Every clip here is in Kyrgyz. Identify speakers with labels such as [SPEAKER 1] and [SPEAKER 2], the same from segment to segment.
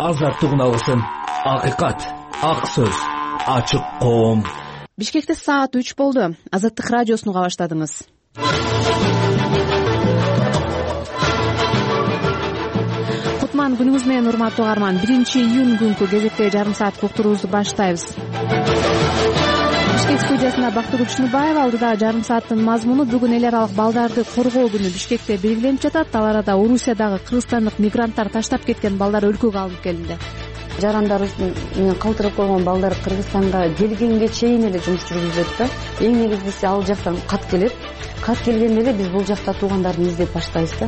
[SPEAKER 1] азаттыгын алсын. Акыйкат, ак сөз, ачык коом.
[SPEAKER 2] Бишкекте саат 3 болду. Азаттык радиосуну уга баштадыңыз. Кутман күнүңүз менен, урматтуу угарман. 1-июнь күнкү кезекте жарым сааттык уктуруубузду баштайбыз. Бишкек студиясында Бактыгүл Чыныбаева. Алдыда жарым сааттын мазмуну бүгүн эл аралык балдарды коргоо күнү Бишкекте белгиленип жатат. Ал арада Орусиядагы кыргызстандык мигранттар таштап кеткен балдар өлкөгө алынып келинди.
[SPEAKER 3] Жарандарыбыз менен калтырып койгон балдар Кыргызстанга келгенге чейин эле жумуш жүргүзүлөт да. Эң негизгиси ал жактан кат келет. Кат келгенде эле биз бул жакта туугандарды издеп баштайбыз да.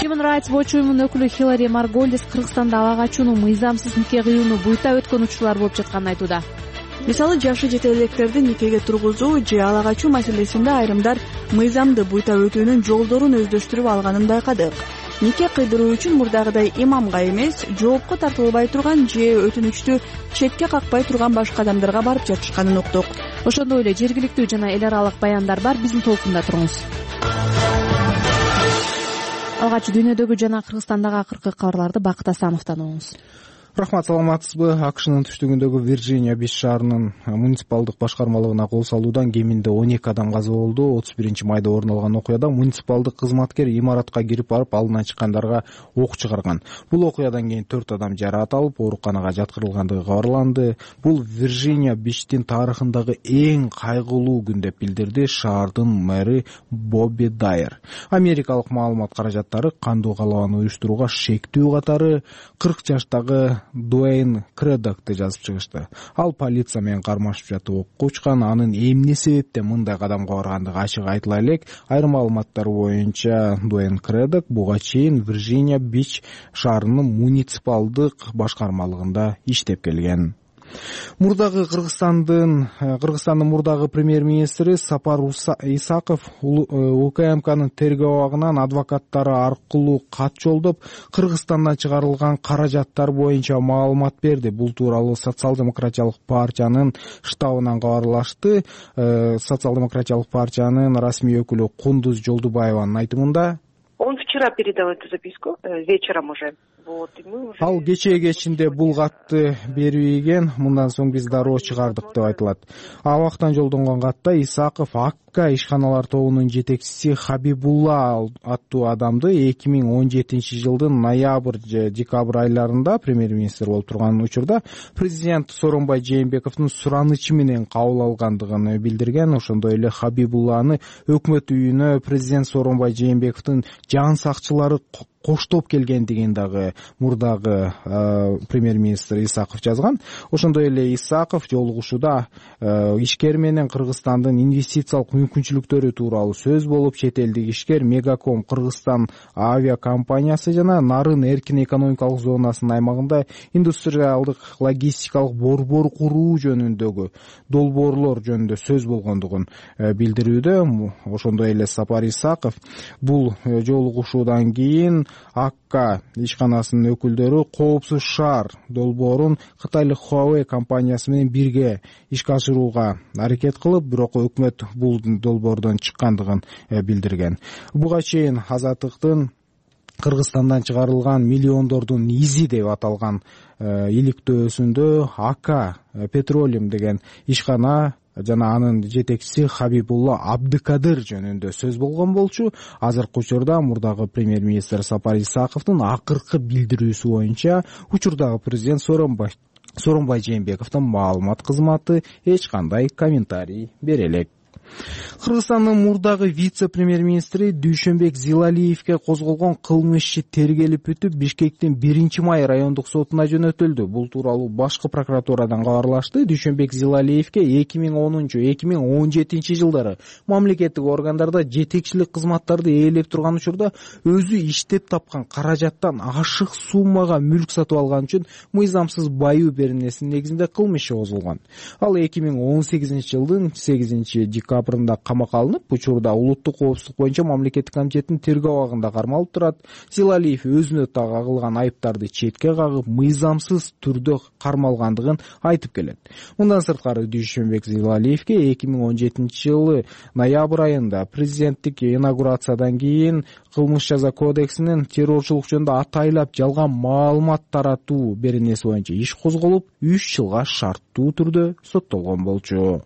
[SPEAKER 2] Human Rights Watch уюмунун өкүлү Хилари Марголдис Кыргызстанда ала качууну, мыйзамсыз нике кыюуну буйта өткөн учурлар болуп жатканын айтууда.
[SPEAKER 4] Мисалы, жашы жете электерди никеге тургузуу же ала качуу маселесинде айрымдар мыйзамды буйта өтүүнүн жолдорун өздөштүрүп алганын байкадык. Нике кыйдыруу үчүн мурдагыдай имамга эмес, жоопко тартылбай турган же өтүнүчтү четке какпай турган башка адамдарга барып жатышканын уктук.
[SPEAKER 2] Ошондой эле жергиликтүү жана эл аралык баяндар бар. Биздин толкунда туруңуз. Алгач дүйнөдөгү жана Кыргызстандагы акыркы кабарларды Бакыт Асановдон угуңуз.
[SPEAKER 5] Рахмат, саламатсызбы? AQShnын түштүгүндөгү Вирджиния Биш шаарынын муниципалдык башкармалыгына кол салуудан кеминде 12 адам каза болду. 31-майда орун алган окуяда муниципалдык кызматкер имаратка кирип барып алдынан чыккандарга ок чыгарган. Бул окуядан кийин 4 адам жараат алып, ооруканага жаткырылгандыгы кабарланды. Бул Вирджиния Биштин тарыхындагы эң кайгылуу күн деп билдирди шаардын мэри Бобби Дайер. Америкалык маалымат каражаттары кандуу калабаны уюштурууга шектүү катары 40 жаштагы Дуэйн Кредокты жазып чыгышты. Ал полиция менен кармашып жатып окко учкан. Анын эмне себептен мындай кадамга баргандыгы ачык айтыла элек. Айрым маалыматтар боюнча Дуэйн Кредок буга чейин Вирджиния Биш шаарынын муниципалдык башкармалыгында иштеп келген. Кыргызстандын мурдагы премьер-министри Сапар Исаков УКМКнын тергөө абагынан адвокаттары аркылуу кат жолдоп, Кыргызстандан чыгарылган каражаттар боюнча маалымат берди. Бул тууралуу Социал-демократиялык партиянын штабынан кабарлашты. Социал-демократиялык партиянын расмий өкүлү Кундуз Жолдубаеванын айтымында,
[SPEAKER 6] он вчера передал эту записку, вечером уже.
[SPEAKER 5] Ал кечээ кечинде бул катты берип ийген. Мындан соң биз дароо чыгардык деп айтылат. Абактан жолдонгон катта Исаков АКК ишканалар тобунун жетекчиси Хабибулла аттуу адамды 2017 жылдын ноябрь же декабрь айларында премьер-министр болуп турган учурда президент Сооронбай Жээнбековдун суранычы менен кабыл алгандыгын билдирген. Ошондой эле Хабибулланы өкмөт үйүнө президент Сооронбай Жээнбековдун жан сакчылары коштоп келгендигин дагы мурдагы премьер-министр Исаков жазган. Ошондой эле Исаков жолугушууда ишкер менен Кыргызстандын инвестициялык мүмкүнчүлүктөрү тууралуу сөз болуп, чет элдик ишкер Мегаком Кыргызстан авиакомпаниясы жана Нарын эркин экономикалык зонасынын аймагында индустриалдык логистикалык борбор куруу жөнүндөгү долбоорлор жөнүндө сөз болгондугун билдирүүдө. Ошондой эле Сапар Исаков бул жолугушуудан кийин АКК ишканасынын өкүлдөрү Коопсуз шаар долбоорун Кытайлык Huawei компаниясы менен бирге ишке ашырууга аракет кылып, бирок өкмөт бул долбоордон чыккандыгын билдирген. Буга чейин Азаттыктын Кыргызстандан чыгарылган миллиондордун изи деп аталган иликтөөсүндө АК Petroleum деген ишкана жана анын жетекчиси Хабибулла Абдыкадыр жөнүндө сөз болгон болчу. Азыркы учурда мурдагы премьер-министр Сапар Исаковдун акыркы билдирүүсү боюнча учурдагы президент Сооронбай Жээнбековдун маалымат кызматы эч кандай комментарий бере элек. Кыргызстандын мурдагы вице-премьер-министри Дүйшөнбек Зилалиевке козголгон кылмыш иши тергелип бүтүп, Бишкектин 1-май райондук сотуна жөнөтүлдү. Бул тууралуу башкы прокуратурадан кабарлашты. Дүйшөнбек Зилалиевке 2010-2017 жылдары мамлекеттик органдарда жетекчилик кызматтарды ээлеп турган учурда өзү иштеп тапкан каражаттан ашык суммага мүлк сатып алган үчүн мыйзамсыз баюу беренесинин негизинде кылмыш иши козголгон. Ал 2018 жылдын 8 декабрында декабрында камакка алынып, учурда улуттук коопсуздук боюнча мамлекеттик комитеттин тергөө абагында кармалып турат. Зилалиев өзүнө тагылган айыптарды четке кагып, мыйзамсыз түрдө кармалгандыгын айтып келет. Мындан сырткары Дүйшөнбек Зилалиевге 2017-жылы ноябрь айында президенттик инаугурациядан кийин кылмыш жаза кодексинин террорчулук жөнүндө атайлап жалган маалымат таратуу беренеси боюнча иш козголуп, 3 жылга шарттуу түрдө соттолгон болчу.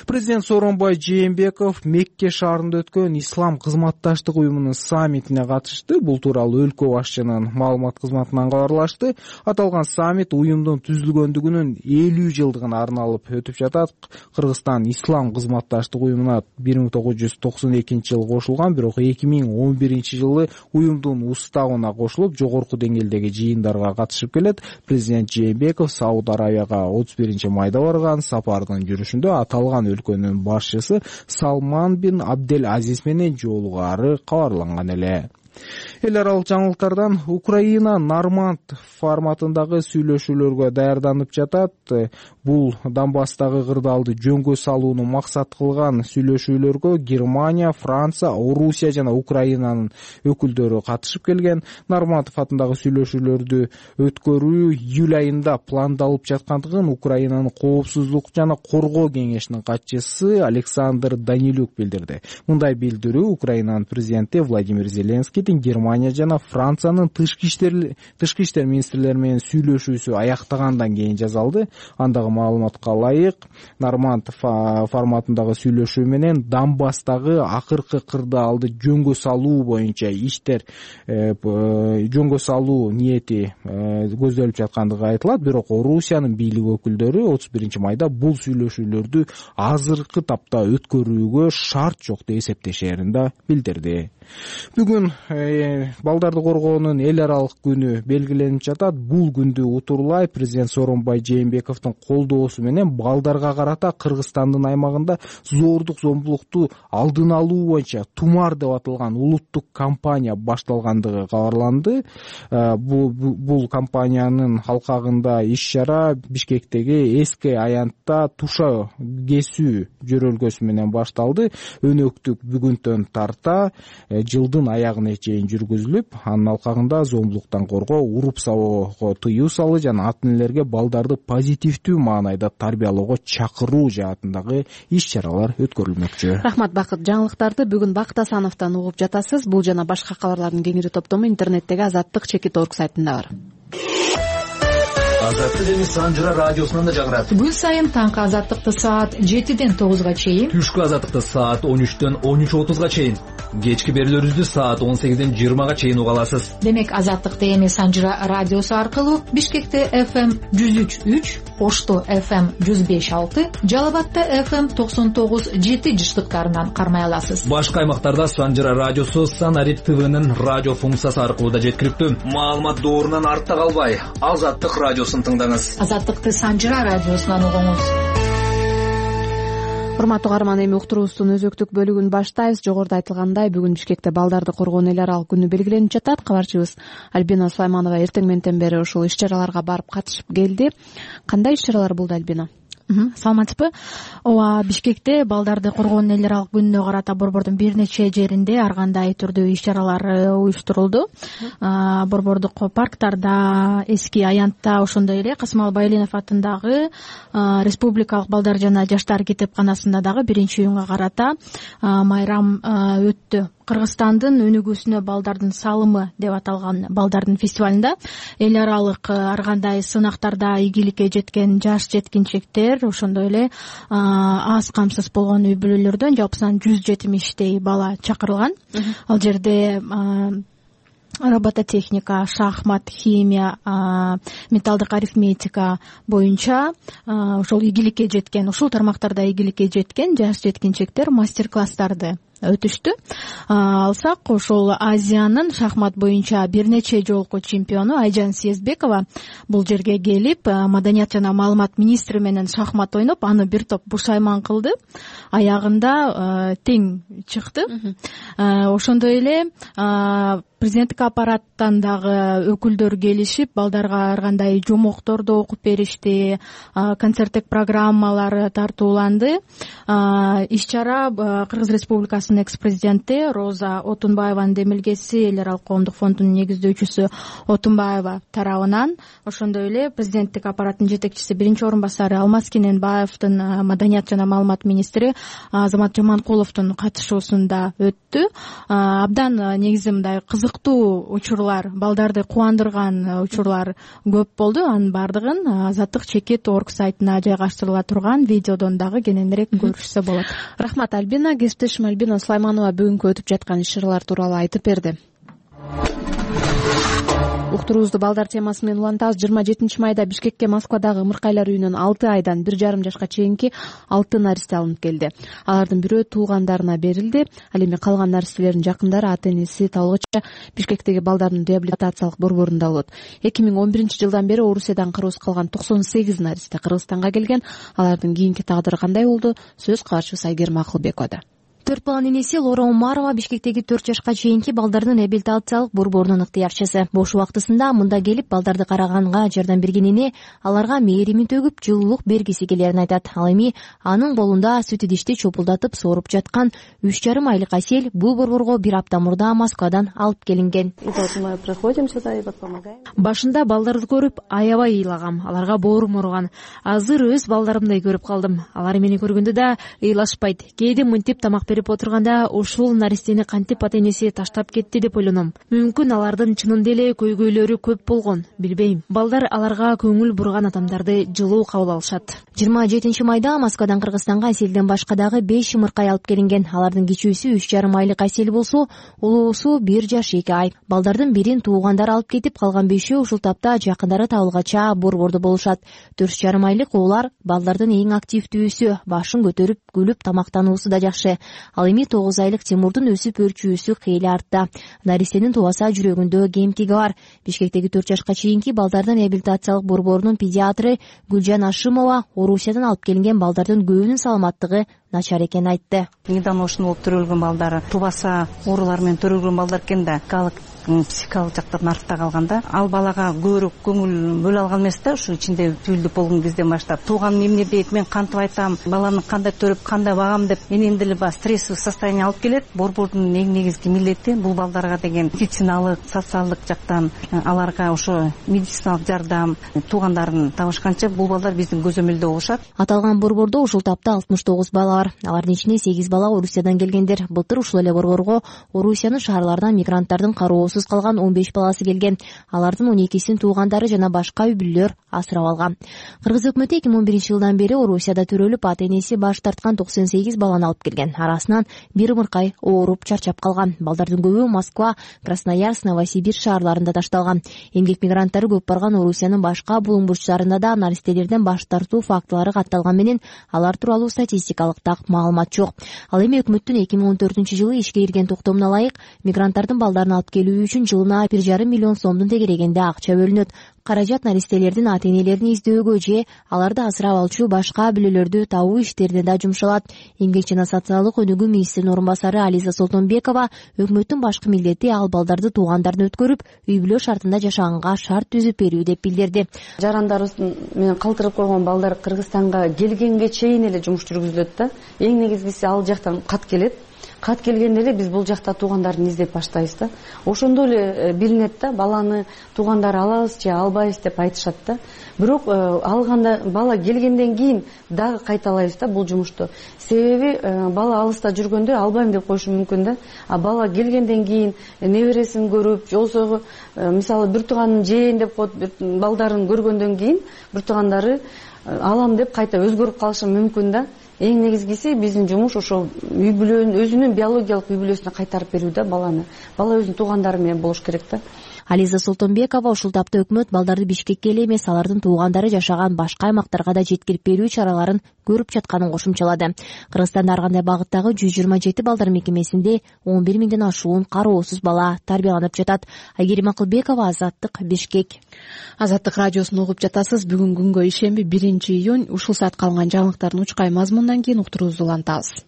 [SPEAKER 5] Президент Сооронбай Жээнбеков Мекке шаарында өткөн Ислам кызматташтык уюмунун саммитине катышты. Бул тууралуу өлкө башчынын маалымат кызматынан кабарлашты. Аталган саммит уюмдун түзүлгөндүгүнүн 50 жылдыгына арналып өтүп жатат. Кыргызстан Ислам кызматташтык уюмуна 1992-жылы кошулган, бирок 2011-жылы уюмдун уставына кошулуп, жогорку деңгээлдеги жыйындарга катышып келет. Президент Жээнбеков Сауд Арабияга 31-майда барган. Сапардын жүрүшүндө аталган өлкөнүн башчысы Салман бин Абдел Азиз менен жолугары кабарланган эле. Эл аралык жаңылыктардан Украина Норманд форматындагы сүйлөшүүлөргө даярданып жатат. Бул Донбасстагы кырдаалды жөнгө салууну максат кылган сүйлөшүүлөргө Германия, Франция, Орусия жана Украинанын өкүлдөрү катышып келген. Нормандов атындагы сүйлөшүүлөрдү өткөрүү июль айында пландалып жаткандыгын Украинанын коопсуздук жана коргоо кеңешинин катчысы Александр Данилюк билдирди. Мындай билдирүү Украинанын президенти Владимир Зеленскийдин Германия жана Франциянын тышкы иштер министрлери менен сүйлөшүүсү аяктагандан кийин жасалды. Андагы маалыматка ылайык, Норманд форматындагы сүйлөшүү менен Донбасстагы акыркы кырдаалды жөнгө салуу боюнча иштер жөнгө салуу ниети көзделип жаткандыгы айтылат. Бирок Орусиянын бийлик өкүлдөрү 31-майда бул сүйлөшүүлөрдү азыркы тапта өткөрүүгө шарт жок деп эсептешерин да билдирди. Бүгүн балдарды коргоонун эл аралык күнү белгиленип жатат. Бул күндү утурлай президент Сооронбай Жээнбековдун колдоосу менен балдарга карата Кыргызстандын аймагында зордук зомбулукту алдын алуу боюнча Тумар деп аталган улуттук кампания башталгандыгы кабарланды. Бул кампаниянын алкагында иш-чара Бишкектеги эски аянтта туша кесүү жөрөлгөсү менен башталды. Өнөктүк бүгүнтөн тарта жылдын аягына чейин жүргүзүлүп, анын алкагында зомбулуктан коргоо, уруп сабоого тыюу салуу жана ата-энелерге балдарды позитивдүү маанайда тарбиялоого чакыруу жаатындагы иш-чаралар өткөрүлмөкчү.
[SPEAKER 2] Рахмат Бакыт. Жаңылыктарды бүгүн Бакыт Асановдон угуп жатасыз. Бул жана башка кабарлардын кеңири топтому интернеттеги azattik.org сайтында бар.
[SPEAKER 1] Азаттык эми Санжыра радиосунан да жаңырат.
[SPEAKER 7] Күн сайын таңкы азаттыкты саат 7-ден 9-га чейин,
[SPEAKER 1] Түшкү азаттыкты саат 13-төн 13:30-га чейин, кечки берүүлөрүбүздү саат 18-ден 20-га чейин уга аласыз.
[SPEAKER 7] Демек азаттыкты эми Санжыра радиосу аркылуу Бишкекте FM 103.3, Ошто FM 105.6, Жалал Абадта FM 99.7 жыштыктарынан кармай аласыз.
[SPEAKER 1] Башка аймактарда Санжыра радиосу Санарит ТВнын радио функциясы аркылуу да жеткиликтүү. Маалымат доорунан артта калбай, Азаттык радиосун тыңдаңыз.
[SPEAKER 7] Азаттыкты Санжыра радиосунан угуңуз.
[SPEAKER 2] Урматтуу каарман, эми уктуруубуздун өзөктүк бөлүгүн баштайбыз. Жогоруда айтылгандай, бүгүн Бишкекте балдарды коргоон эл аралык күнү белгиленип жатат. Кабарчыбыз Альбина Сулайманова эртең менен бери ушул иш-чараларга барып катышып келди. Кандай иш-чаралар болду, Альбина?
[SPEAKER 8] Саламатсызбы? Ооба, Бишкекте балдарды коргоон эл аралык күнүнө карата Борбордун бир нече жеринде ар кандай түрдүү иш-чаралар уюштурулду. Борбордук парктарда, эски аянтта, ошондой эле Касымал Байлинов атындагы Республикалык балдар жана жаштар китепканасында дагы биринчи июнга карата майрам өттү. Кыргызстандын өнүгүүсүнө балдардын салымы деп аталган балдардын фестивалында эл аралык ар кандай сынактарда ийгиликке жеткен жаш жеткинчектер, ошондой эле аз камсыз болгон үй бүлөлөрдөн жалпысынан 170 бала чакырылган. Ал жерде робототехника, шахмат, химия, металлдык арифметика боюнча ошол ийгиликке жеткен, ушул тармактарда ийгиликке жеткен жаш жеткинчектер мастер-класстарды өтүштү. Алсак, ошол Азиянын шахмат боюнча бир нече жолку чемпиону Айжан Сезбекова бул жерге келип, Маданият жана маалымат министри менен шахмат ойноп, аны бир топ бушайман кылды. Аягында тең чыкты. Ошондой эле Президенттик аппараттан дагы өкүлдөр келишип, балдарга ар кандай жомокторду окуп беришти, концерттик программалар тартууланды. Иш-чара Кыргыз Республикасынын экс-президенти Роза Отунбаеванын демилгеси эл аралык коомдук фондунун негиздөөчүсү Отунбаева тарабынан, ошондой эле президенттик аппараттын жетекчиси биринчи орун басары Алмаз Кененбаевдин, маданият жана маалымат министри Азамат Жаманкуловдун катышуусунда өттү. Абдан негизи мындай кызыктуу учурлар, балдарды кубандырган учурлар көп болду. Анын бардыгын Азаттык чекит орг сайтына жайгаштырыла турган видеодон дагы кененирээк көрүшсө болот.
[SPEAKER 2] Рахмат, Альбина. Кесиптешим Альбина Сулайманова бүгүнкү өтүп жаткан иш-чаралар тууралуу айтып берди. Уктуруубузду балдар темасы менен улантабыз. 27 майда Бишкекке Москвадагы ымыркайлар үйүнөн 6 айдан 1,5 жашка чейинки 6 наристе алынып келди. Алардын бирөө туугандарына берилди. Ал эми калган наристелердин жакындары ата-энеси табылгыча Бишкектеги балдардын реабилитациялык борборунда болот. 2011-жылдан бери Орусиядан кыргыз калган 98 наристе Кыргызстанга келген. Алардын кийинки тагдыры кандай болду? Сөз кабарчыбыз Айгерим Акылбековда.
[SPEAKER 9] 4 баланын энеси Лора Умарова Бишкектеги 4 жашка чейинки балдардын реабилитациялык борборунун ыктыярчысы. Бош убактысында мында келип балдарды караганга жардам берген эне аларга мээримин төгүп, жылуулук бергиси келерин айтат. Ал эми анын колунда сүт идишти чопулдатып сооруп жаткан 3,5 айлык Асель бул борборго 1 апта мурда Москвадан алып келинген.
[SPEAKER 10] Башында балдарды көрүп аябай ыйлагам, аларга боорум ооруган. Азыр өз балдарымдай көрүп калдым. Алар мени көргөндө да ыйлашпайт. Кээде мынтип тамак берип отурганда ушул наристени кантип ата-энеси таштап кетти деп ойлоном. Мүмкүн алардын чынында эле көйгөйлөрү көп болгон, билбейм. Балдар аларга көңүл бурган адамдарды жылуу кабыл алышат.
[SPEAKER 9] 27 майда Москвадан Кыргызстанга Аселден башка дагы 5 ымыркай алып келинген. Алардын кичүүсү 3,5 айлык Асел болсо, улуусу 1 жаш 2 ай. Балдардын бирин туугандар алып кетип, калган 5-өө ушул тапта жакындары табылгача борбордо болушат. 4,5 айлык уулар балдардын эң активдүүсү, башын көтөрүп, күлүп тамактануусу да жакшы. Ал эми 9 айлык Тимурдун өсүп өрчүүсү кыйли артта. Наристенин тубаса жүрөгүндө кемтиги бар. Бишкектеги 4 жашка чейинки балдардын реабилитациялык борборунун педиатры Гүлжан Ашимова Орусиядан алып келинген балдардын көбүнүн саламаттыгы начар экенин айтты.
[SPEAKER 11] Недавно ушуну болуп төрөлгөн балдар, тубаса оорулар менен төрөлгөн балдар экен да, психикалык жактан артта калганда, ал балага көбүрөөк көңүл бөлө алган эмес да, ушу ичинде түйүлдүп болгон кезден баштап. Тууганым эмне дейт, мен кантип айтам, баланы кандай төрөп, кандай багам деп менен деле стрессовый состояние алып келет. Борбордун эң негизги милдети бул балдарга деген медициналык, социалдык жактан аларга ошо медициналык жардам, туугандарын табышканча бул балдар биздин көзөмөлдө болушат.
[SPEAKER 9] Аталган борбордо ушул тапта 69 бала бар. Алардын ичинде 8 бала Орусиядан келгендер. Былтыр ушул эле борборго Орусиянын шаарларынан мигранттардын кароосуз калган 15 баласы келген. Алардын 12син туугандары жана башка үй бүлөлөр асырап алган. Кыргыз өкмөтү 2011-жылдан бери Орусияда төрөлүп, ата-энеси баш тарткан 98 баланы алып келген. Арасынан 1 ымыркай ооруп чарчап калган. Балдардын көбү Москва, Красноярск, Новосибирск шаарларында ташталган. Эмгек мигранттары көп барган Орусиянын башка булуң бурчтарында да наристелерден баш тартуу фактылары катталган менен алар тууралуу статистикалык маалымат жок. Ал эми өкмөттүн 2014-жылы ишке кирген токтомуна ылайык мигранттардын балдарын алып келүү үчүн жылына 1,5 миллион сомдун тегерегинде акча бөлүнөт. Каражат наристелердин ата-энелерин издөөгө же аларды асырап алчу башка бүлөлөрдү табуу иштерине да жумшалат. Эмгек жана социалдык өнүгүү министринин орун басары Ализа Солтонбекова өкмөттүн башкы милдети ал балдарды туугандарын өткөрүп, үй бүлө шартында жашаганга шарт түзүп берүү деп билдирди.
[SPEAKER 3] Жарандарыбыз менен калтырып койгон балдар Кыргызстанга келгенге чейин эле жумуш жүргүзүлөт да. Эң негизгиси ал жактан кат келет. Кат келгенде эле биз бул жакта туугандарын издеп баштайбыз да. Ошондо эле билинет да, баланы туугандары алабыз же албайбыз деп айтышат да. Бирок алганда бала келгенден кийин дагы кайталайбыз да бул жумушту. Себеби бала алыста жүргөндө албайм деп коюшу мүмкүн да. А бала келгенден кийин небересин көрүп, жолсо мисалы бир тууганын жээйин деп коет, балдарын көргөндөн кийин бир туугандары алам деп кайта өзгөрүп калышы мүмкүн да. Эң негизгиси биздин жумуш ошо үй бүлөнүн өзүнүн биологиялык үй бүлөсүнө кайтарып берүү да баланы. Бала өзүнүн туугандары менен болуш керек да.
[SPEAKER 9] Ализа Солтонбекова ушул тапта өкмөт балдарды Бишкекке эле эмес, алардын туугандары жашаган башка аймактарга да жеткирип берүү чараларын көрүп жатканын кошумчалады. Кыргызстанда ар кандай багыттагы 127 балдар мекемесинде 11 миңден ашуун кароосуз бала тарбияланып жатат. Айгерим Акылбекова, Азаттык, Бишкек.
[SPEAKER 2] Азаттык радиосун угуп жатасыз. Бүгүн күнгө ишемби 1 июнь. Ушул саатка алынган жаңылыктардын учкай мазмунунан кийин уктуруубузду улантабыз.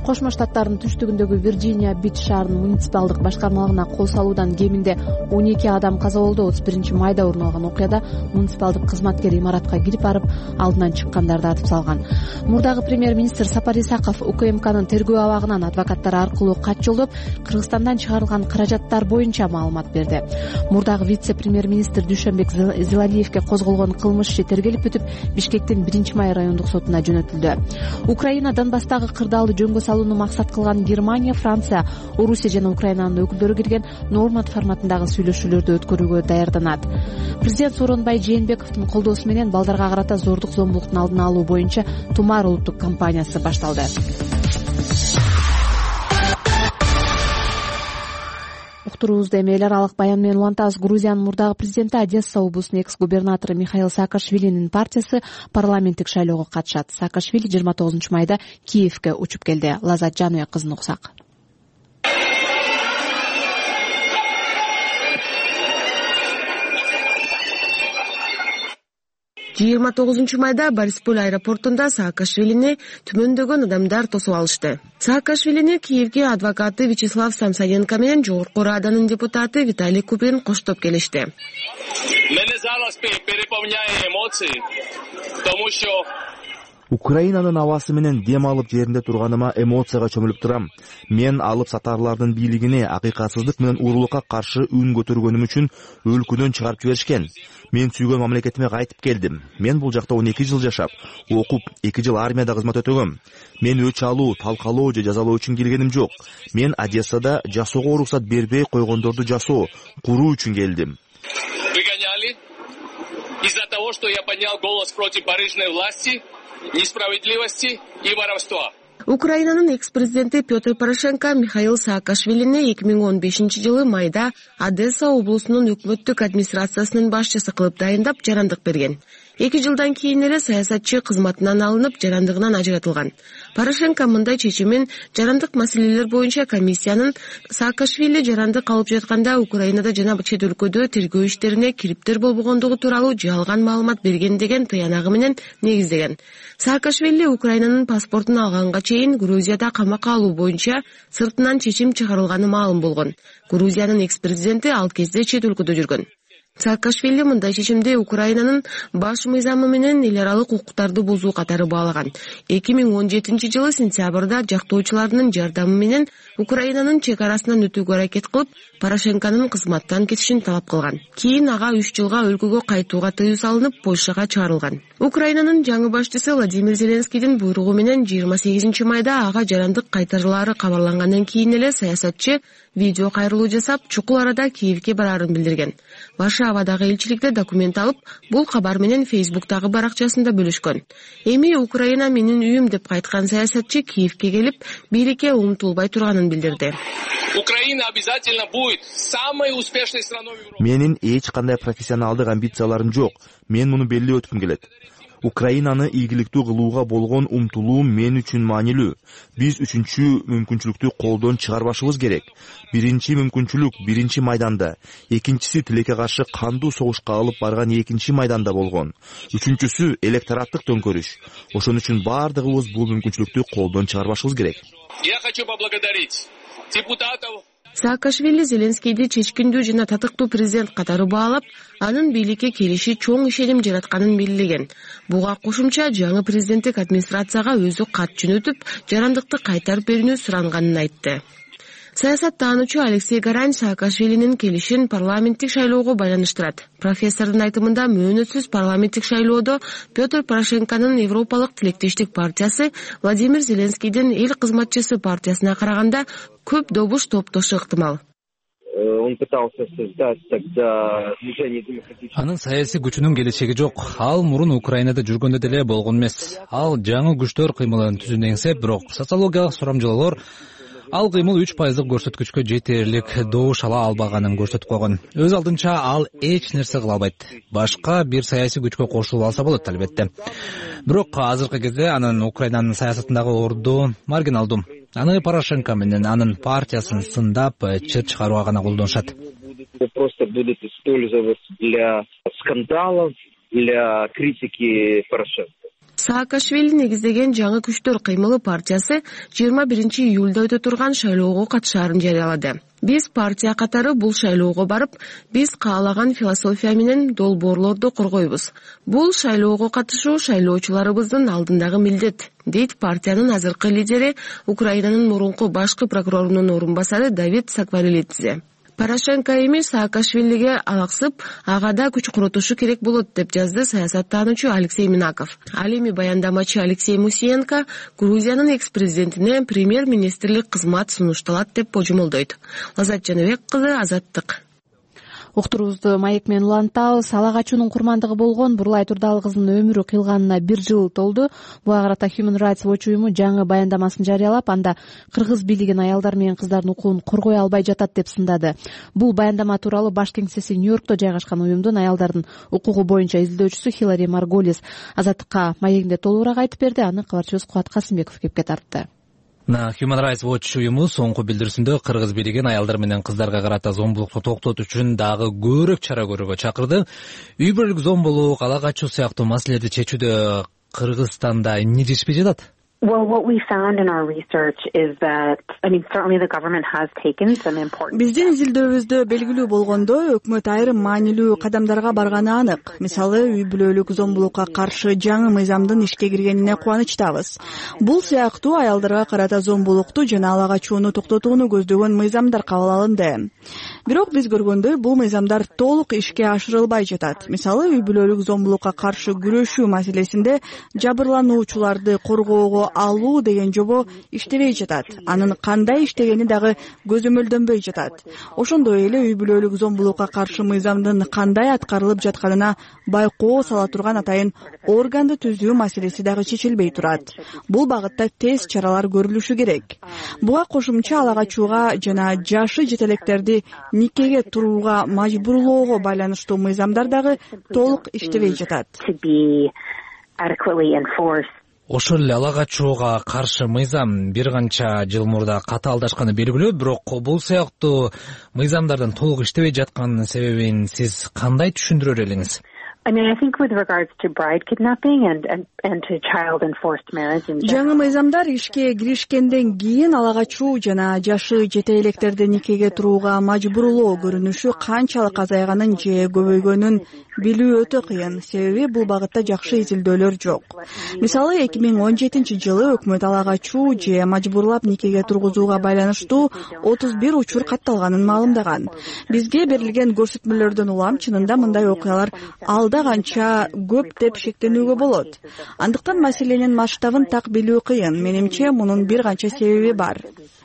[SPEAKER 2] Кошмо Штаттардын түштүгүндөгү Вирджиния Бич шаарынын муниципалдык башкармалыгына кол салуудан кеминде 12 адам каза болду. 31 майда орун алган окуяда муниципалдык кызматкер имаратка кирип барып, алдынан чыккандарды атып салган. Мурдагы премьер-министр Сапар Исаков УКМКнын тергөө абагынан адвокаттар аркылуу кат жолдоп, Кыргызстандан чыгарылган каражаттар боюнча маалымат берди. Мурдагы вице-премьер-министр Дүйшөнбек Зилалиевге козголгон кылмыш иши тергелип бүтүп, Бишкектин 1-май райондук сотуна жөнөтүлдү. Украина Донбасстагы кырдаалды жөнгө салууну максат кылган Германия, Франция, Орусия жана Украинанын өкүлдөрү кирген Норманд форматындагы сүйлөшүүлөрдү өткөрүүгө даярданат. Президент Сооронбай Жээнбековдун колдоосу менен балдарга карата зордук зомбулуктун алдын алуу боюнча Тумар улуттук кампаниясы башталды. Уктуруубузду эми эл аралык баян менен улантабыз. Грузиянын мурдагы президенти Одесса облусунун экс-губернатору Михаил Саакашвилинин партиясы парламенттик шайлоого катышат. Саакашвили 29 майда Киевге учуп келди. Лазат Жаныя кызын уксак.
[SPEAKER 12] 29 майда Борисполь аэропортунда Саакашвилини түмөндөгөн адамдар тосуп алышты. Саакашвилини Киевге адвокаты Вячеслав Самсоненко менен Жогорку Раданын депутаты Виталий Купин коштоп келишти.
[SPEAKER 13] Мене зараз переполняет эмоции, потому что
[SPEAKER 14] Украинанын абасы менен дем алып жеринде турганыма эмоцияга чөмүлүп турам. Мен алып сатарлардын бийлигине акыйкатсыздык менен уурулукка каршы үн көтөргөнүм үчүн өлкөдөн чыгарып жиберишкен. Мен сүйгөн мамлекетиме кайтып келдим. Мен бул жакта 12 жыл жашап, окуп, 2 жыл армияда кызмат өтөгөм. Мен өч алуу, талкалоо же жазалоо үчүн келгеним жок. Мен Одессада жашоого уруксат бербей койгондорду жасоо, куруу үчүн келдим.
[SPEAKER 13] Выгоняли из-за того, что я поднял голос против барыжной власти, несправедливости и воровства.
[SPEAKER 12] Украинанын экс-президенти Петр Порошенко Михаил Саакашвилини 2015-жылы майда Одесса облусунун өкмөттүк администрациясынын башчысы кылып дайындап жарандык берген. 2 жылдан кийин эле саясатчы кызматынан алынып, жарандыгынан ажыратылган. Порошенко мындай чечимин жарандык маселелер боюнча комиссиянын Саакашвили жарандык алып жатканда Украинада жана чет өлкөдө тергөө иштерине кириптер болбогондугу тууралуу жалган маалымат берген деген тыянагы менен негиздеген. Саакашвили Украинанын паспортун алганга чейин Грузияда камакка алуу боюнча сыртынан чечим чыгарылганы маалым болгон. Грузиянын экс-президенти ал кезде чет өлкөдө жүргөн. Саакашвили мындай чечимди Украинанын баш мыйзамы менен эл аралык укуктарды бузуу катары баалаган. 2017-жылы сентябрда жактоочуларынын жардамы менен Украинанын чек арасынан өтүүгө аракет кылып, Порошенконун кызматтан кетишин талап кылган. Кийин ага 3 жылга өлкөгө кайтууга тыюу салынып, Польшага чыгарылган. Украинанын жаңы башчысы Владимир Зеленскийдин буйругу менен 28 майда ага жарандык кайтарылаары кабарлангандан кийин эле саясатчы видео кайрылуу жасап, чукул арада Киевге бараарын билдирген. Варшавадагы элчиликте документ алып, бул кабар менен Фейсбуктагы баракчасында бөлүшкөн. Эми Украина менин үйүм деп кайткан саясатчы Киевге келип, бийликке умтулбай турганын билдирди.
[SPEAKER 13] Украина обязательно будет самой успешной страной в Европе.
[SPEAKER 14] Менин эч кандай профессионалдык амбицияларым жок. Мен муну белгилеп өткүм келет. Украинаны ийгиликтүү кылууга болгон умтулуум мен үчүн маанилүү. Биз үчүнчү мүмкүнчүлүктү колдон чыгарбашыбыз керек. Биринчи мүмкүнчүлүк 1-майданда, экинчиси тилекке каршы кандуу согушка алып барган 2-майданда болгон. Үчүнчүсү электораттык төңкөрүш. Ошон үчүн бардыгыбыз бул мүмкүнчүлүктү колдон чыгарбашыбыз керек.
[SPEAKER 13] Я хочу поблагодарить депутатов.
[SPEAKER 12] Саакашвили Зеленскийди чечкиндүү жана татыктуу президент катары баалап, анын бийликке келиши чоң ишеним жаратканын белгилеген. Буга кошумча жаңы президенттик администрацияга өзү кат жөнөтүп, жарандыкты кайтарып берүүнү суранганын айтты. Саясаттаануучу Алексей Гарань Саакашвилинин келишин парламенттик шайлоого байланыштырат. Профессордун айтымында мөөнөтсүз парламенттик шайлоодо Петр Порошенконун Европалык тилектештик партиясы Владимир Зеленскийдин эл кызматчысы партиясына караганда көп добуш топтошу ыктымал.
[SPEAKER 15] Он пытался создать тогда движение демократических.
[SPEAKER 1] Анын саясий күчүнүн келечеги жок. Ал мурун Украинада жүргөндө деле болгон эмес. Ал жаңы күчтөр кыймылын түзүүнү эңсеп, бирок социологиялык сурамжылоолор ал кыймыл 3% көрсөткүчкө жетерлик добуш ала албаганын көрсөтүп койгон. Өз алдынча ал эч нерсе кыла албайт. Башка бир саясий күчкө кошулуп алса болот албетте. Бирок азыркы кезде анын Украинанын саясатындагы орду маргиналдуу. Аны Порошенко менен анын партиясын сындап, чыр чыгарууга гана колдонушат.
[SPEAKER 15] Просто будут использовать для скандалов, для критики Порошенко.
[SPEAKER 12] Саакашвили негиздеген жаңы күчтөр кыймылы партиясы 21 июлда өтө турган шайлоого катышаарын жарыялады. Биз партия катары бул шайлоого барып, биз каалаган философия менен долбоорлорду коргойбуз. Бул шайлоого катышуу шайлоочуларыбыздын алдындагы милдет, дейт партиянын азыркы лидери, Украинанын мурунку башкы прокурорунун орун басары Давид Сакварелидзе. Порошенко эми Саакашвилиге алаксып, ага да күч курутушу керек болот деп жазды саясаттануучу Алексей Минаков. Ал эми баяндамачы Алексей Мусиенко Грузиянын экс-президентине премьер-министрлик кызмат сунушталат деп божомолдойт. Лазат Жаныбек кызы, Азаттык.
[SPEAKER 2] Уктуруубузду маек менен улантабыз. Ала качуунун курмандыгы болгон Бурлай Турдал кызынын өмүрү кыйылганына 1 жыл толду. Буга карата Human Rights Watch уюму жаңы баяндамасын жарыялап, анда кыргыз бийлигин аялдар менен кыздардын укугун коргой албай жатат деп сындады. Бул баяндама тууралуу баш кеңсеси Нью-Йоркто жайгашкан уюмдун аялдардын укугу боюнча изилдөөчүсү Хилари Марголис Азаттыкка маегинде толугураак айтып берди. Аны кабарчыбыз Кубат Касымбеков кепке тартты.
[SPEAKER 1] Human Rights Watch уюму соңку билдирүүсүндө кыргыз бийлигин аялдар менен кыздарга карата зомбулукту токтотуу үчүн дагы көбүрөөк чара көрүүгө чакырды. Үй бүлөлүк зомбулук, ала качуу сыяктуу маселелерди чечүүдө Кыргызстанда эмне жетишпей жатат?
[SPEAKER 16] Well, what we found in our research is that, certainly the government has taken some important...
[SPEAKER 4] Биздин изилдөөбүздө белгилүү болгондой, өкмөт айрым маанилүү кадамдарга барганы анык. Мисалы, үй бүлөлүк зомбулукка каршы жаңы мыйзамдын ишке киргенине кубанычтабыз. Бул сыяктуу аялдарга карата зомбулукту жана ала качууну токтотууну көздөгөн мыйзамдар кабыл алынды. Бирок биз көргөндөй, бул мыйзамдар толук ишке ашырылбай жатат. Мисалы, үй бүлөлүк зомбулукка каршы күрөшүү маселесинде жабырлануучуларды коргоого алуу деген жобо иштебей жатат. Анын кандай иштегени дагы көзөмөлдөнбөй жатат. Ошондой эле үй бүлөлүк зомбулукка каршы мыйзамдын кандай аткарылып жатканына байкоо сала турган атайын органды түзүү маселеси дагы чечилбей турат. Бул багытта тез чаралар көрүлүшү керек. Буга кошумча ала качууга жана жашы жетелектерди никеге турууга мажбурлоого байланыштуу мыйзамдар дагы толук иштебей жатат.
[SPEAKER 1] Ошол эле ала качууга каршы мыйзам бир канча жыл мурда катаалдашканы белгилүү, бирок бул сыяктуу мыйзамдардын толук иштебей жатканынын себебин сиз кандай түшүндүрөр элеңиз?
[SPEAKER 16] I think with regards to bride kidnapping and to child enforced marriage.
[SPEAKER 4] Жаңы мыйзамдар ишке киришкенден кийин ала качуу жана жашы жете электерди никеге турууга мажбурлоо көрүнүшү канчалык азайганын же көбөйгөнүн билүү өтө кыйын. Себеби бул багытта жакшы изилдөөлөр жок. Мисалы 2017-жылы өкмөт ала качуу же мажбурлап никеге тургузууга байланыштуу 31 учур катталганын маалымдаган. Бизге берилген көрсөтмөлөрдөн улам чынында мындай окуялар канча көп деп шектенүүгө болот. Андыктан маселенин масштабын так билүү кыйын. Менимче мунун бир канча себеби бар.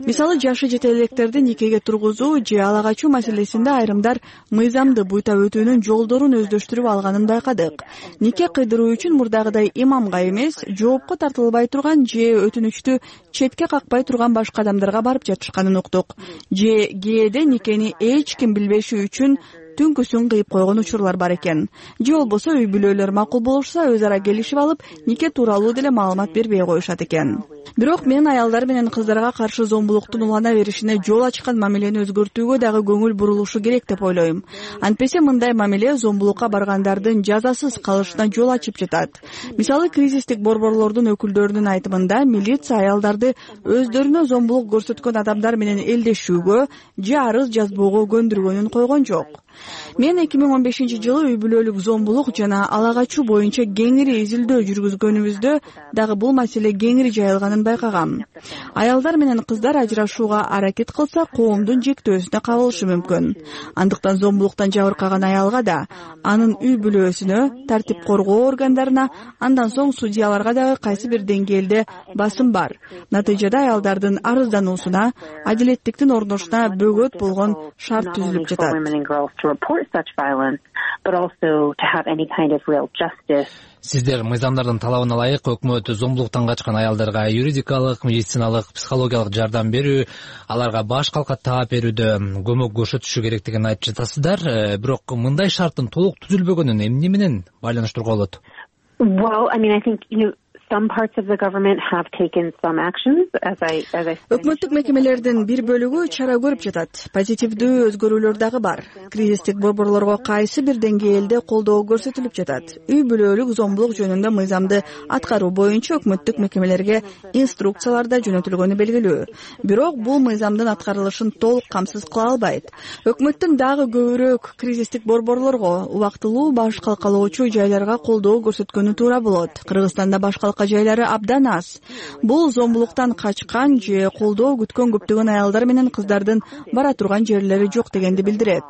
[SPEAKER 4] Мисалы, жашы жете электерди никеге тургузуу же ала качуу маселесинде айрымдар мыйзамды буйта өтүүнүн жолдорун өздөштүрүп алганын байкадык. Нике кыйдыруу үчүн мурдагыдай имамга эмес, жоопко тартылбай турган же өтүнүчтү четке какпай турган башка адамдарга барып жатышканын уктук. Же кээде никени эч ким билбеши үчүн түнкүсүн кыйып койгон учурлар бар экен. Же болбосо үй бүлөлөр макул болушса, өз ара келишип алып, нике тууралуу деле маалымат бербей коюшат экен. Бирок мен аялдар менен кыздарга каршы зомбулуктун улана беришине жол ачкан мамилени өзгөртүүгө дагы көңүл бурулушу керек деп ойлойм. Антпесе мындай мамиле зомбулукка баргандардын жазасыз калышына жол ачып жатат. Мисалы, кризистик борборлордун өкүлдөрүнүн айтымында милиция аялдарды өздөрүнө зомбулук көрсөткөн адамдар менен элдешүүгө же арыз жазбоого көндүргөнүн койгон жок. Мен 2015-жылы үй бүлөлүк зомбулук жана ала качуу боюнча кеңири изилдөө жүргүзгөнүбүздө дагы бул маселе кеңири жайылганын байкагам. Аялдар менен кыздар ажырашууга аракет кылса, коомдун жектөөсүнө кабылышы мүмкүн. Андыктан зомбулуктан жабыркаган аялга да, анын үй бүлөсүнө, тартип коргоо органдарына, андан соң судьяларга дагы кайсы бир деңгээлде басым бар. Натыйжада аялдардын арыздануусуна, адилеттиктин орношуна бөгөт болгон шарт түзүлүп жатат.
[SPEAKER 1] Сиздер мыйзамдардын талабына ылайык өкмөт зомбулуктан качкан аялдарга юридикалык, медициналык, психологиялык жардам берүү, аларга баш калкат таап берүүдө көмөк көрсөтүшү керектигин айтып жатасыздар. Бирок мындай шарттын толук түзүлбөгөнүн эмне менен байланыштырууга болот?
[SPEAKER 16] Well, I think, Some parts of the government have taken some actions, as I
[SPEAKER 4] Өкмөттүк мекемелердин бир бөлүгү чара көрүп жатат. Позитивдүү өзгөрүүлөр дагы бар. Кризистик борборлорго кайсы бир деңгээлде колдоо көрсөтүлүп жатат. Үй бүлөлүк зомбулук жөнүндө мыйзамды аткаруу боюнча өкмөттүк мекемелерге инструкциялар да жөнөтүлгөнү белгилүү. Бирок бул мыйзамдын аткарылышын толук камсыз кыла албайт. Өкмөттүн дагы көбүрөөк кризистик борборлорго, убактылуу баш калкалоочу жайларга колдоо көрсөткөнү туура болот. Кыргызстанда баш жайлары абдан аз. Бул зомбулуктан качкан же колдоо күткөн көптөгөн аялдар менен кыздардын бара турган жерлери жок дегенди билдирет.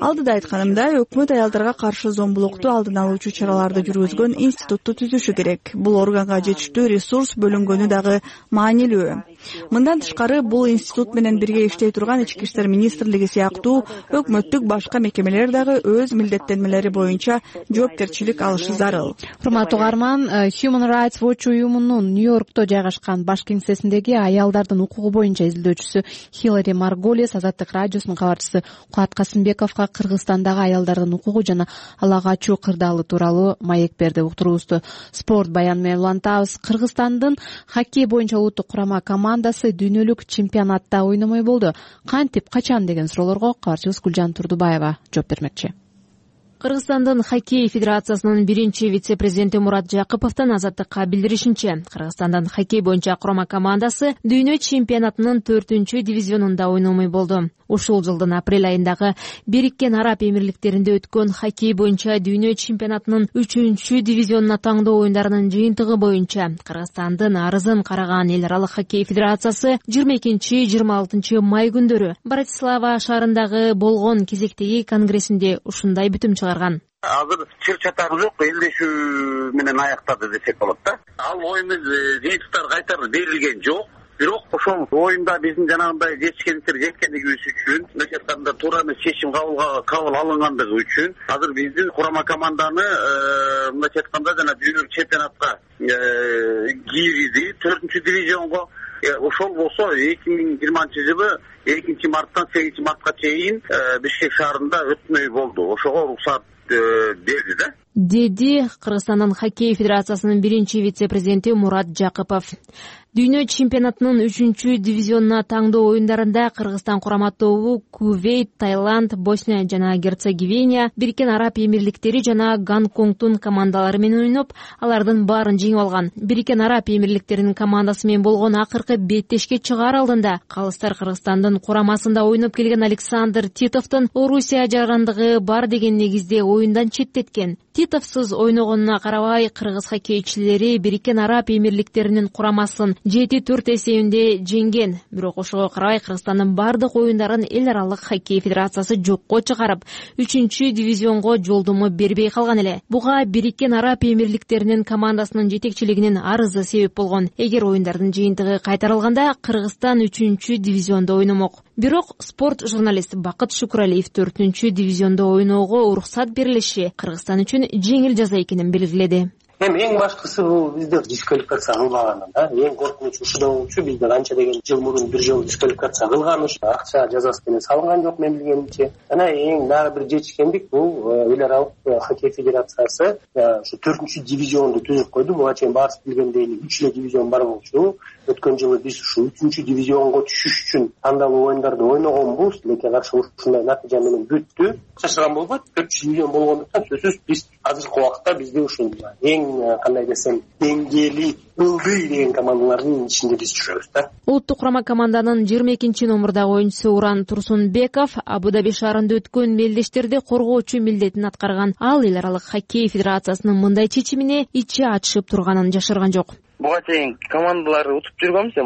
[SPEAKER 4] Алдыда айтканымдай, өкмөт аялдарга каршы зомбулукту алдын алуучу чараларды жүргүзгөн институтту түзүшү керек. Бул органга жетиштүү ресурс бөлүнгөнү дагы маанилүү. Мындан тышкары, бул институт менен бирге иштей турган Ички иштер министрлиги сыяктуу өкмөттүк башка мекемелер дагы өз милдеттенмелери боюнча жоопкерчилик алышы зарыл.
[SPEAKER 2] Урматтуу угарман, Human Rights Watch уюмунун Нью-Йоркто жайгашкан баш кеңсесиндеги аялдардын укугу боюнча изилдөөчүсү Хиллари Марголес Азаттык радиосунун кабарчысы Кубат Касымбековго Кыргызстандагы аялдардын укугу жана ала качуу кырдаалы тууралуу маек берди. Уктуруубузду спорт баяны менен улантабыз. Кыргызстандын хоккей боюнча улуттук курама командасы дүйнөлүк чемпионатта ойномой болду. Кантип, качан деген суроолорго кабарчыбыз Гүлжан Турдубаева жооп бермекчи.
[SPEAKER 10] Кыргызстандын хоккей федерациясынын биринчи вице-президенти Мурат Жакыповдун Азаттыкка билдиришинче, Кыргызстандын хоккей боюнча курама командасы дүйнө чемпионатынын 4-дивизионунда ойномой болду. Ушул жылдын апрель айындагы Бириккен Араб Эмирликтеринде өткөн хоккей боюнча дүйнө чемпионатынын 3-дивизионуна таңдоо оюндарынын жыйынтыгы боюнча Кыргызстандын арызын караган эл аралык хоккей федерациясы 22-26 май күндөрү Братислава шаарындагы болгон кезектеги конгрессинде ушундай бүтүм чыгарган.
[SPEAKER 17] Азыр чыр чатагы жок, элдешүү менен аяктады десек болот да. Ал оюн жыйынтыктар кайтарып берилген жок. Бирок ошол оюнда биздин жанагындай жеткендигибиз үчүн, мындай айтканда туура эмес чечим кабыл алынгандыгы үчүн азыр биздин курама команданы мындай айтканда жана дүйнөлүк чемпионатка кирди, 4-дивизионго. Ошол болсо 2020-жылы 2-марттан 8-мартка чейин Бишкек шаарында өтмөй болду. Ошого уруксат берди да.
[SPEAKER 10] Деди Кыргызстандын хоккей федерациясынын биринчи вице-президенти Мурат Жакыпов. Дүйнө чемпионатынын 3-дивизионуна таңдоо оюндарында Кыргызстан курама тобу Кувейт, Таиланд, Босния жана Герцеговина, Бириккен Араб Эмирликтери жана Гонконгдун командалары менен ойноп, алардын баарын жеңип алган. Бириккен Араб Эмирликтеринин командасы менен болгон акыркы беттешке чыгаар алдында калыстар Кыргызстандын курамасында ойноп келген Александр Титовдун Орусия жарандыгы бар деген негизде оюндан четтеткен. Титовсуз ойногонуна карабай, кыргыз хоккейчилери Бириккен Араб Эмирликтеринин курамасын 7-4 эсебинде жеңген. Бирок ошого карабай Кыргызстандын бардык оюндарын эл аралык хоккей федерациясы жокко чыгарып, 3-дивизионго жолдомо бербей калган эле. Буга Бириккен Араб Эмирликтеринин командасынын жетекчилигинин арызы себеп болгон. Эгер оюндардын жыйынтыгы кайтарылганда, Кыргызстан 3-дивизиондо ойномок. Бирок спорт журналисти Бакыт Шукуралиев 4-дивизиондо ойноого уруксат берилиши Кыргызстан үчүн жеңил жаза экенин белгиледи.
[SPEAKER 18] Эң башкысы бул бизде дисквалификация кылмаганы да. Эң коркунучу ушуда болчу. Бизде канча деген жыл мурун бир жолу дисквалификация кылган, акча жазасы менен салынган жок мен билгенимче. Жана эң дагы бир жетишкендик бул эл аралык хоккей федерациясы ушу 4-дивизионду түзүп койду. Буга чейин баарыбыз билгендей 3-дивизион бар болчу. Өткөн жылы биз ушу 3-дивизионго түшүш үчүн тандалуу оюндарды ойногонбуз, лекин каршы ушундай натыйжа менен бүттү. Чачырган болбойт. 4-дивизион болгондуктан сөзсүз биз азыркы убакытта бизде ушул эң кандай десем деңгээли ылдый деген командалардын ичинде биз жүрөбүз да.
[SPEAKER 10] Улуттук курама команданын 22-номурдагы оюнчусу Уран Турсунбеков Абу Даби шаарында өткөн мелдештерди коргоочу милдетин аткарган. Ал эл аралык хоккей федерациясынын мындай чечимине ичи ачышып турганын жашырган жок.
[SPEAKER 19] Буга чейин командаларды утуп жүргөнбүз,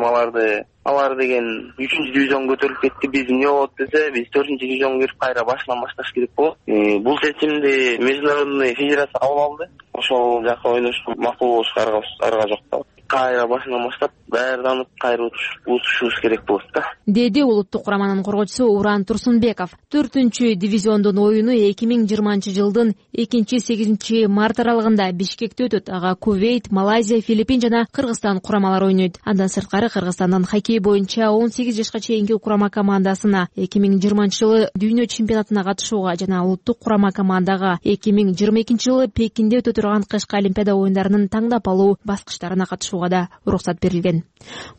[SPEAKER 19] алар деген 3-дивизионго көтөрүлүп кетти. Биз эмне болот десе, биз 4-дивизионго кирип кайра башынан башташ керек болот. Бул чечимди международный федерация кабыл алды. Ошол жака ойношко макул болушка арга жок да. кайра башынан баштап даярданып кайра утушубуз керек болот да,
[SPEAKER 10] деди улуттук кураманын коргоочусу Уран Турсунбеков. 4-дивизиондун оюну 2020-жылдын 2-8 март аралыгында Бишкекте өтөт. Ага Кувейт, Малайзия, Филиппин жана Кыргызстан курамалары ойнойт. Андан сырткары Кыргызстандын хоккей боюнча 18 жашка чейинки курама командасына 2020-жылы дүйнө чемпионатына катышууга жана улуттук курама командага 2022-жылы Пекинде өтө турган кышкы олимпиада оюндарынын таңдап алуу баскычтарына катышууга да уруксат берилген.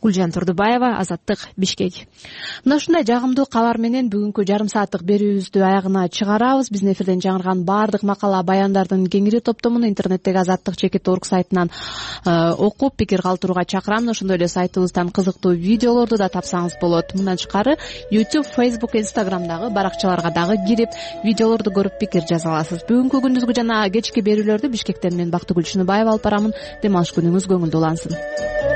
[SPEAKER 10] Гүлжан Турдубаева, Азаттык, Бишкек.
[SPEAKER 2] Мына ушундай жагымдуу кабар менен бүгүнкү жарым сааттык берүүбүздү аягына чыгарабыз. Биздин эфирден жаңырган баардык макала баяндардын кеңири топтомун интернеттеги azattik.org сайтынан окуп пикир калтырууга чакырам. Ошондой эле сайтыбыздан кызыктуу видеолорду да тапсаңыз болот. Мындан тышкары YouTube, Facebook, Instagramдагы баракчаларга дагы кирип видеолорду көрүп пикир жаза аласыз. Бүгүнкү күндүзгү жана кечки берүүлөрдү Бишкектен мен Бактыгүл Шыныбаева алып барамын. Дем алыш күнүңүз көңүлдүү улансын.